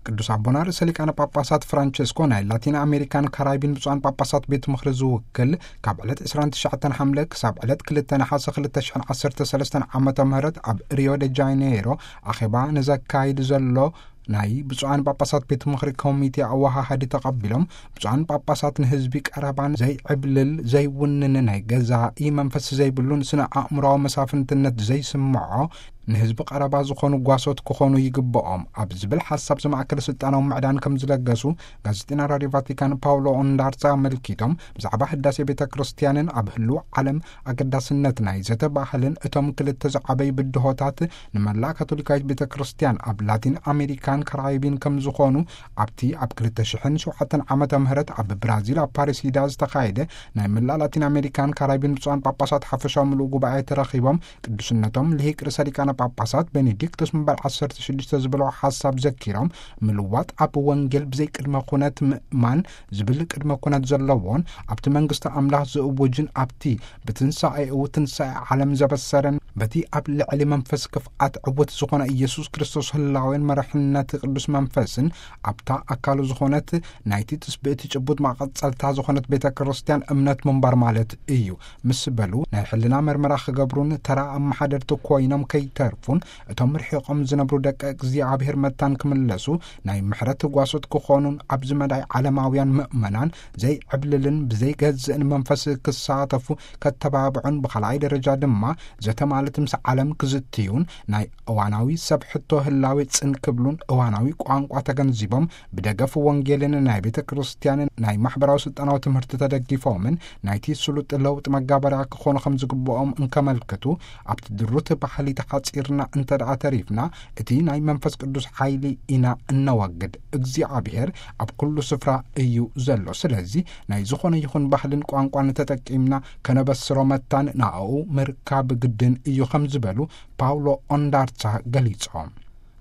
ቅዱስ ኣቦና ርእሰ ሊቃነ ጳጳሳት ፍራንቸስኮ ናይ ላቲን ኣሜሪካን ካራይቢን ብፁዓን ጳጳሳት ቤት ምኽሪ ዝውክል፣ ካብ ዕለት ዕስራን ትሽዓተን ሓምለ ክሳብ ዕለት ክልተ ነሓሰ ክልተ ሽሕን ዓሰርተ ሰለስተን ዓመተ ምህረት ኣብ ሪዮ ደ ጃኔይሮ ኣኼባ ንዘካይድ ዘሎ ናይ ብፁዓን ጳጳሳት ቤት ምኽሪ ኮሚቴ ኣወሃሃዲ ተቐቢሎም፣ ብፁዓን ጳጳሳት ንህዝቢ ቀረባን ዘይዕብልል ዘይውንን ናይ ገዛኢ መንፈስ ዘይብሉን ስነ ኣእምሮዊ መሳፍንትነት ዘይስምዖ ንህዝቢ ቀረባ ዝኾኑ ጓሶት ክኾኑ ይግብኦም ኣብ ዝብል ሓሳብ ዝማእከል ስልጣናዊ ምዕዳን ከም ዝለገሱ ጋዜጠኛ ራድዮ ቫቲካን ፓውሎ ኦንዳርሳ ኣመልኪቶም፣ ብዛዕባ ህዳሴ ቤተ ክርስቲያንን ኣብ ህልው ዓለም ኣገዳስነት ናይ ዘተ ባህልን እቶም ክልተ ዝዓበዩ ብድሆታት ንመላእ ካቶሊካዊት ቤተ ክርስቲያን ኣብ ላቲን ኣሜሪካን ካራይቢን ከም ዝኾኑ ኣብቲ ኣብ ክልተ ሽሕን ሸውዓተን ዓመተ ምህረት ኣብ ብራዚል ኣብ ፓሪሲዳ ዝተኻየደ ናይ መላእ ላቲን ኣሜሪካን ካራይቢን ብፁዓን ጳጳሳት ሓፈሻዊ ምሉእ ጉባኤ ተረኺቦም ቅዱስነቶም ልሂቅ ርእሰ ሊቃነ ጳጳሳት ቤኔዲክቶስ መንበር ዓሰርተ ሽዱሽተ ዝበልዎ ሓሳብ ዘኪሮም፣ ምልዋጥ ኣብ ወንጌል ብዘይ ቅድመ ኩነት ምእማን ዝብል ቅድመ ኩነት ዘለዎን ኣብቲ መንግስቲ ኣምላኽ ዝእውጅን ኣብቲ ብትንሳኤኡ ትንሳኤ ዓለም ዘበሰረን በቲ ኣብ ልዕሊ መንፈስ ክፍኣት ዕውት ዝኾነ ኢየሱስ ክርስቶስ ህላዌን መርሕነት ቅዱስ መንፈስን ኣብታ ኣካሉ ዝኾነት ናይቲ ትስብእቲ ጭቡጥ መቐጸልታ ዝኾነት ቤተ ክርስቲያን እምነት ምንባር ማለት እዩ ምስ በሉ፣ ናይ ሕልና መርመራ ክገብሩን ተራ ኣመሓደርቲ ኮይኖም ከይተርፉን እቶም ርሒቖም ዝነብሩ ደቂ እግዚኣብሔር መታን ክምለሱ ናይ ምሕረት ጓሶት ክኾኑን ኣብዚ መዳይ ዓለማውያን ምእመናን ዘይዕብልልን ብዘይገዝእን መንፈስ ክሳተፉ ከተባብዑን ብኻልኣይ ደረጃ ድማ ዘተ ማለት ምስ ዓለም ክዝትዩን ናይ እዋናዊ ሰብ ሕቶ ህላዌ ጽን ክብሉን እዋናዊ ቋንቋ ተገንዚቦም ብደገፍ ወንጌልን ናይ ቤተ ክርስቲያንን ናይ ማሕበራዊ ስልጣናዊ ትምህርቲ ተደጊፎምን ናይቲ ስሉጥ ለውጥ መጋበርያ ክኾኑ ከም ዝግብኦም እንከመልክቱ፣ ኣብቲ ድሩት ባህሊ ተሓጺርና እንተ ደኣ ተሪፍና እቲ ናይ መንፈስ ቅዱስ ሓይሊ ኢና እነወግድ። እግዚኣብሔር ኣብ ኩሉ ስፍራ እዩ ዘሎ። ስለዚ ናይ ዝኾነ ይኹን ባህልን ቋንቋን ተጠቂምና ከነበስሮ መታን ንኣኡ ምርካብ ግድን እዩ ከም ዝበሉ ፓውሎ ኦንዳርሳ ገሊጾም።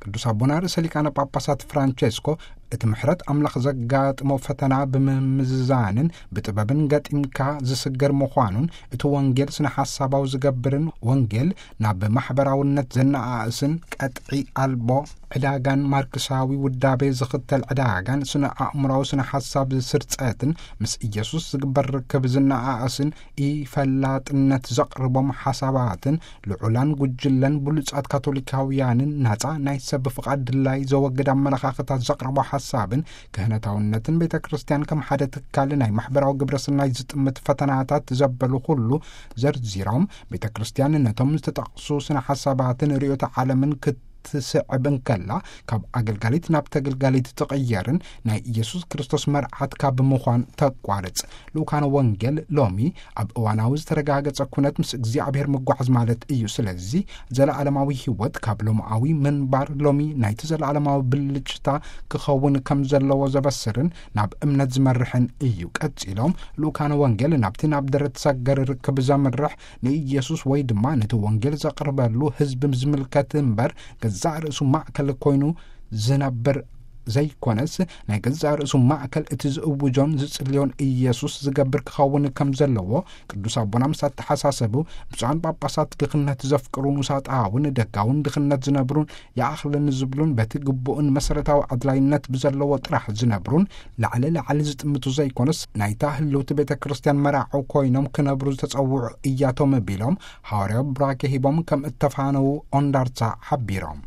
ቅዱስ ኣቦና ርእሰ ሊቃነ ጳጳሳት ፍራንቼስኮ እቲ ምሕረት ኣምላኽ ዘጋጥሞ ፈተና ብምምዝዛንን ብጥበብን ገጢምካ ዝስገር ምዃኑን እቲ ወንጌል ስነ ሓሳባዊ ዝገብርን ወንጌል ናብ ማሕበራውነት ዘነኣእስን ቀጥዒ ኣልቦ ዕዳጋን ማርክሳዊ ውዳቤ ዝኽተል ዕዳጋን ስነ ኣእምራዊ ስነ ሓሳብ ስርጸትን ምስ ኢየሱስ ዝግበር ርክብ ዝነኣእስን ኢፈላጥነት ዘቕርቦም ሓሳባትን ልዑላን ጉጅለን ብሉጻት ካቶሊካውያንን ናጻ ናይ ሰብ ፍቓድ ድላይ ዘወግድ ኣመለኻኽታት ዘቕርቦ ሓሳብን ክህነታውነትን ቤተ ክርስቲያን ከም ሓደ ትካል ናይ ማሕበራዊ ግብረ ሰናይ ዝጥምት ፈተናታት ዘበሉ ኩሉ ዘርዚሮም፣ ቤተ ክርስቲያን ነቶም ዝተጠቕሱ ስነ ሓሳባትን ርእዮተ ዓለምን ክትስዕብ እንከላ ካብ ኣገልጋሊት ናብ ተገልጋሊት ትቕየርን ናይ ኢየሱስ ክርስቶስ መርዓት ካብ ምዃን ተቋርጽ። ልኡካነ ወንጌል ሎሚ ኣብ እዋናዊ ዝተረጋገጸ ኩነት ምስ እግዚኣብሔር ምጓዓዝ ማለት እዩ። ስለዚ ዘለዓለማዊ ህይወት ካብ ሎማዊ ምንባር ሎሚ ናይቲ ዘለዓለማዊ ብልጭታ ክኸውን ከም ዘለዎ ዘበስርን ናብ እምነት ዝመርሕን እዩ። ቀጺሎም ልኡካነ ወንጌል ናብቲ ናብ ደረት ሰገር ርክብ ዘምርሕ ንኢየሱስ ወይ ድማ ነቲ ወንጌል ዘቕርበሉ ህዝቢ ዝምልከት እምበር ገዛእ ርእሱ ማእከል ኮይኑ ዝነብር ዘይኮነስ ናይ ገዛእ ርእሱ ማእከል እቲ ዝእውጆን ዝጽልዮን ኢየሱስ ዝገብር ክኸውን ከም ዘለዎ ቅዱስ ኣቦና ምስ ኣተሓሳሰቡ፣ ብፁዓን ጳጳሳት ድኽነት ዘፍቅሩን ውሳጣውን ደጋውን ድኽነት ዝነብሩን ይኣኽለኒ ዝብሉን በቲ ግቡእን መሰረታዊ ኣድላይነት ብዘለዎ ጥራሕ ዝነብሩን ላዕሊ ላዕሊ ዝጥምቱ ዘይኮነስ ናይታ ህልውቲ ቤተ ክርስቲያን መራዑ ኮይኖም ክነብሩ ዝተጸውዑ እያቶም ቢሎም ሃዋርያዊ ቡራኬ ሂቦም ከም እተፋነዉ ኦንዳርሳ ሓቢሮም።